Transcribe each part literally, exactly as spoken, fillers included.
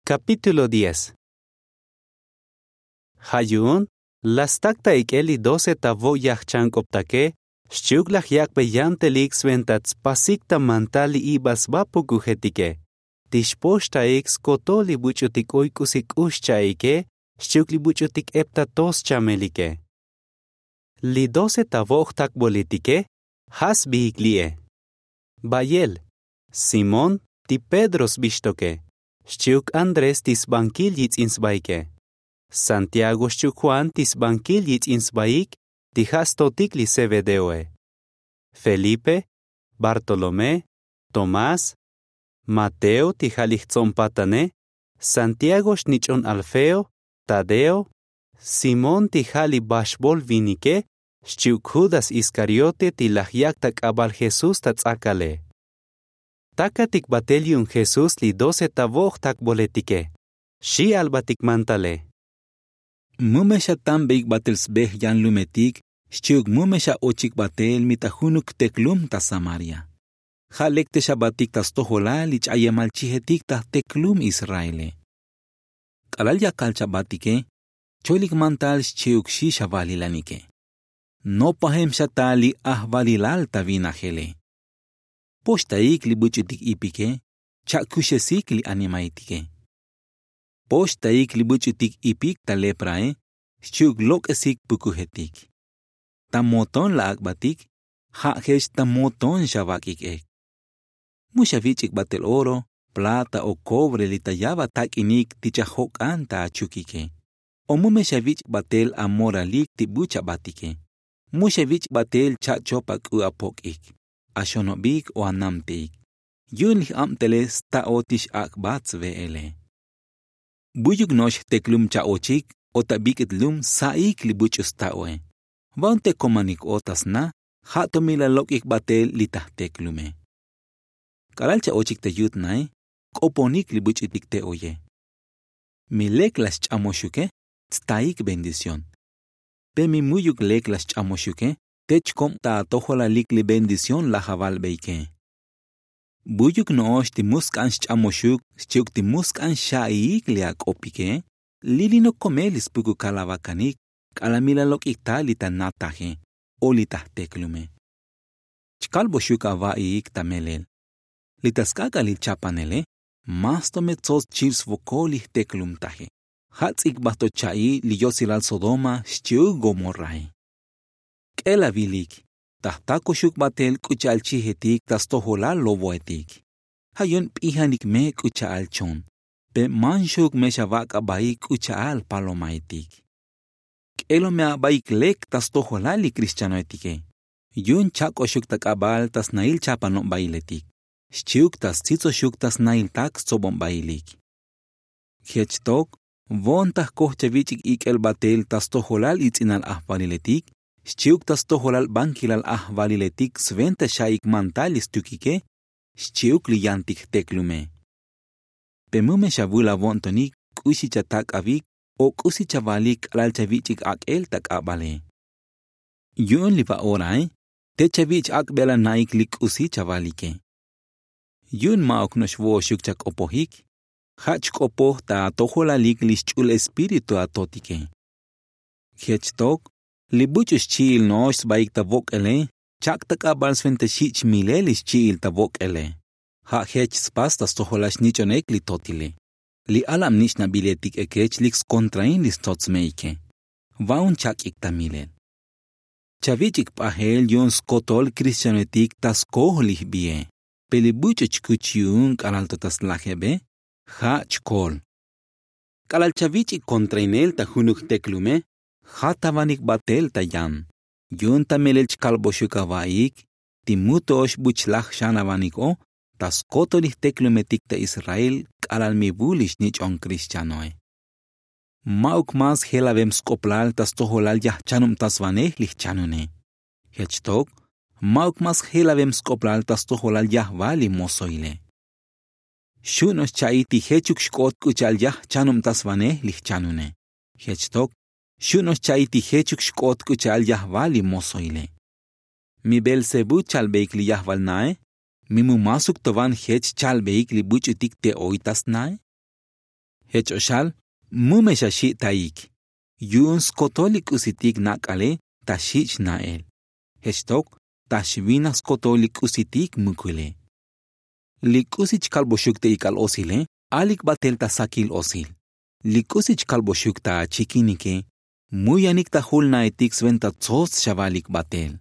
Kapítulo diez. Ja' yu'un la stak ta ik'el li doce ta vo' yajchank'optake. Xchi'uk laj yak'be yantelik sventa tspasik ta mantal li ibal sba pukujetike. Ti xpoxtaik skotol li buch'utik oy k'usi k'ux cha'ike xchi'uk li buch'utik ep ta to schamelike. Li doce ta vo' jtakboletike ja' sbiik li'e: bayel, simón, ti pedro sbixtoke, xchi'uk andrés ti sbankil yits'in sbaike, santiago xchi'uk juan ti sbankil yits'in sbaik ti ja' stotik li zebedeoe, felipe, bartolomé, tomás, mateo ti ja' li jtso'npatane, santiago xnich'on alfeo, tadeo, simón ti ja' li baxbol vinike, xchi'uk judas iskariote ti laj yak' ta k'abal jesús ta ts'akale. Takatik batel yu'un jesús li doce ta vo' jtakboletike, xi' albatik mantale: —Mu me xatanbeik batel sbe jyanlumetik xchi'uk mu me xa'ochik batel mi ta junuk jteklum ta samaria. Ja' lek te xabatik ta stojolal li ch'ayemal chijetik ta jteklum israele. K'alal yakal chabatike cholik mantal xchi'uk xi' xavalilanike. Nopajem xa ta li ajvalilal ta vinajele. Poxtaik li buch'utik ipike, cha'kuxesik li animaitike. Poxtaik li buch'utik ipik ta leprae, xchi'uk lok'esik pukujetik. Ta moton la ak'batik, ja' jech ta moton xavak'ik ek. Mu xavich'ik batel oro, plata o kobre li ta yaba tak'inik ti chajok'an ta achukike. O mu me xavich'ik batel amoralik ti bu chabatike. Mu xavich'ik batel cha'chop ak'u apok'ik, axonobik o anamte'ik. Yu'un li j'abtele sta'o ti x'ak'bat sve'ele. Buyuk no'ox jteklum cha'ochik o ta bik'it lum sa'ik li buch'u sta'oe. Va'un te komanik o ta sna, ja' to mi la lok'ik batel li ta jteklume. K'alal cha'ochik ta yut nae, k'oponik li buch'utik te oye. Mi lek la xch'amoxuke, tstaik bendición. Pe mi mu'yuk lek la xch'amoxuke, te chkob ta atojolalik li bendición laj avalbeike. Buyuk no'ox ti mu sk'an xch'amoxuk xchi'uk ti mu sk'an xa'iik li ak'opike, lilinok komel li spukukal avakanik k'alal mi la lok'ik ta li ta nataje o li ta jteklume. Chkalboxuk ava'iik ta melel. Li ta sk'ak'alil chapanele, mas to me tsots chil svokol li jteklumtaje. Ja' ts'ikbat to cha'i li yotsilal sodoma xchi'uk gomorrae. K'el avilik, ta jtakoxuk batel k'u cha'al chijetik ta stojolal lovoetik. Ja' yu'un p'ijanik me k'u cha'al chon, pe manxuk me xavak' abaik k'u cha'al palomaetik. K'elo me abaik lek ta stojolal li krixchanoetike. Yu'un chak'oxuk ta k'abal ta snail chapanobailetik, xchi'uk ta stsitsoxuk ta snail tak stsobonbailik. Jech tok, vo'on ta jkoj chavich'ik ik'el batel ta stojolal its'inal ajvaliletik xchi'uk ta stojolal bankilal ajvaliletik sventa xa'ik mantal li stukike, xchi'uk li yantik jteklume. Pe mu me xavul avo'ntonik k'uxi chatak'avik o k'usi chavalik k'alal chavich'ik ak'el ta k'abale. Yu'un li va'orae, te chavich' ak'bel ana'ik li k'usi chavalike. Yu'un ma'uk no'ox vo'oxuk chak'opojik, ja' chk'opoj ta atojolalik li xch'ul espíritu atotike. Jech tok, li buch'u xchi'il no'ox sbaik ta vok'ele, chak' ta k'abal sventa xich' milel li xchi'il ta vok'ele. Ja' jech spas ta stojolal xnich'on ek li totile. Li alab nich'nabiletik ekech lik skontrain li stsotsmeike. Va'un chak'ik ta milel. Chavich'ik p'ajel yu'un skotol krixtianoetik ta skoj li jbie. Pe li buch'u chkuch yu'un k'alal to ta slajebe, ja' chkol. K'alal chavich'ik kontrainel ta junuk jteklume, jat avanik batel ta yan. Yu'un ta melel chkalboxuk ava'iik ti mu to'ox bu chlaj xan avanik o ta skotol li jteklumetik ta israel k'alal mi vul li xnich'on krixtianoe. Ma'uk mas jelavem sk'oplal ta stojolal yajchanubtasvanej li jchanune. Jech tok, ma'uk mas jelavem sk'oplal ta stojolal yajval li mozoile. Xu' no'ox cha'i ti jechuk xk'ot k'u cha'al yajchanubtasvanej li jchanune. Jech tok, xu' no'ox cha'i ti jechuk xk'ot k'u cha'al yajval li mozoile. Mi beelzebú chalbeik li yajval nae? Mi mu masuk to van jech chalbeik li buch'utik te oy ta snae? Jech o xal, mu me xa xi'taik. Yu'un skotol li k'usitik nak'ale ta xich' na'el. Jech tok ta xvinaj skotol li k'usitik mukule. Li k'usi chkalboxuk ta ik'al osile, alik batel ta sakil osil. Li k'usi chkalboxuk ta achikinike, mu yanik ta julnaetik sventa tsots xavalik batel.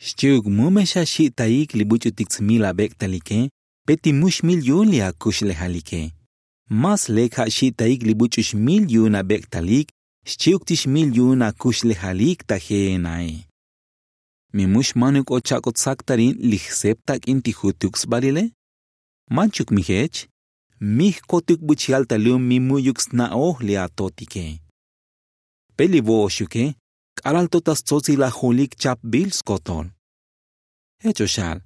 Xchi'uk mu me xa xi'taik li buch'utik tsmil abek'talike, pe ti mu xmil yu'un li akuxlejalike. Más lek ja' xi'taik li buch'u xmil yu'un abek'talik xchi'uk ti xmil yu'un akuxlejalik ta je'enae. Mi mu xmanuk o chak'ot saktarin li jsep tak'in ti jutuk sbalile? Manchuk mi jech. Mi jkotuk buch yaltalum mi mu'yuk sna'oj li atotike. Pe li vo'oxuke, k'alal to ta stsotsil ajolik chapbil skotol. Jech o xal,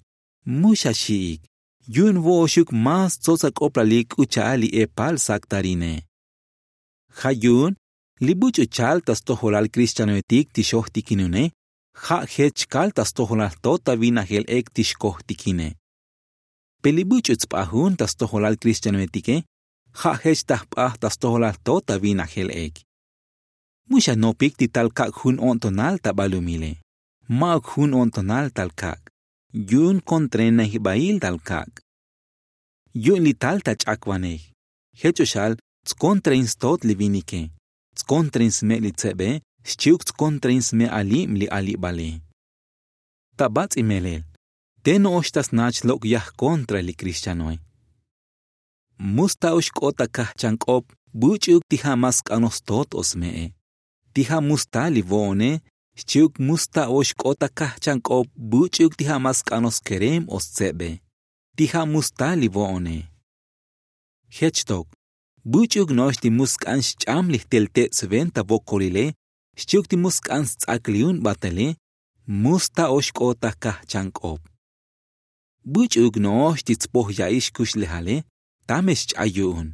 mu xa xi'ik. Yu'un vo'oxuk más tsots ak'oplalik k'u cha'al li epal saktarine. Ja' yu'un li buch'u chal ta stojolal kristianoetik ti xojtikinune, ja' jech chkal ta stojolal to ta vinajel ek ti xkojtikine. Pe li buch'u tsp'ajun ta stojolal kristianoetike, ja' jech ta jp'aj ta stojolal to ta vinajel ek. Mu xa nopik ti tal kak' jun o'ntonal ta balumile. Ma'uk jun o'ntonal tal kak'. Yu'un kontrainajbail tal kak'. Yu'un li tal ta ch'akvanej. Jech o xal, tskontrain stot li vinike, tskontrain sme' li tsebe, xchi'uk tskontrain sme' alib li alibale. Ta bats'i melel, te no'ox ta snach lok' yaj kontra li kristianoe. Mu sta o xk'ot ta kajchank'op buch'uk ti ja' ma sk'anoj stot o sme'e. Ti ja' mu sta li vo'one, xchi'uk mu sta o xk'ot ta kajchank'op buch'uk ti ja' ma sk'anoj skerem o stsebe. Ti ja' mu sta li vo'one. Jech tok, buch'uk no'ox ti mu sk'an xch'am li jtel te' sventa vokolile, xchi'uk ti mu sk'an sts'ak li un batele, mu sta o xk'ot ta kajchank'op. Buch'uk no'ox ti tspoj ya'i xkuxlejale, tame xch'ay yu'un.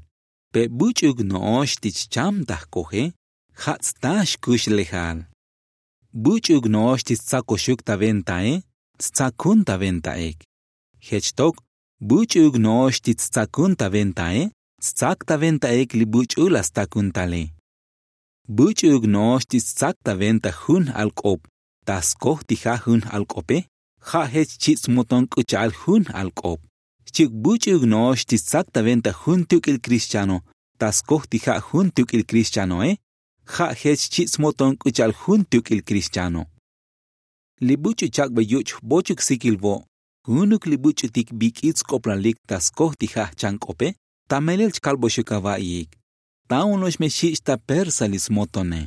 Pe buch'uk no'ox ti chcham ta jkoje, ja' tsta xkuxlejal. Buch'uk no'ox ti stsakoxuk ta ventae, tstsakun ta venta ek. Jech tok, buch'uk no'ox ti tstsakun ta ventae, tstsak ta venta ek li buch'u la stakun tale. Buch'uk no'ox ti tstsak ta venta jun j-alk'op ta skoj ti ja' jun j-alk'ope, ja' jech chi' tsmoton k'u cha'al jun j-alk'op. Xchi'uk buch'uk no'ox ti tstsak ta venta jun tuk'il kristiano ta skoj ti ja' jun tuk'il kristianoe, ja' jech chi' tsmoton k'u cha'al jun tuk'il kristiano. Li buch'u chak'be yuch' jbochuk sikil vo', junuk li buch'utik bik'it sk'oplalik ta skoj ti ja' jchank'ope, ta melel chkalboxuk ava'iik. Ta'un no'ox me xich' ta persa li smotone.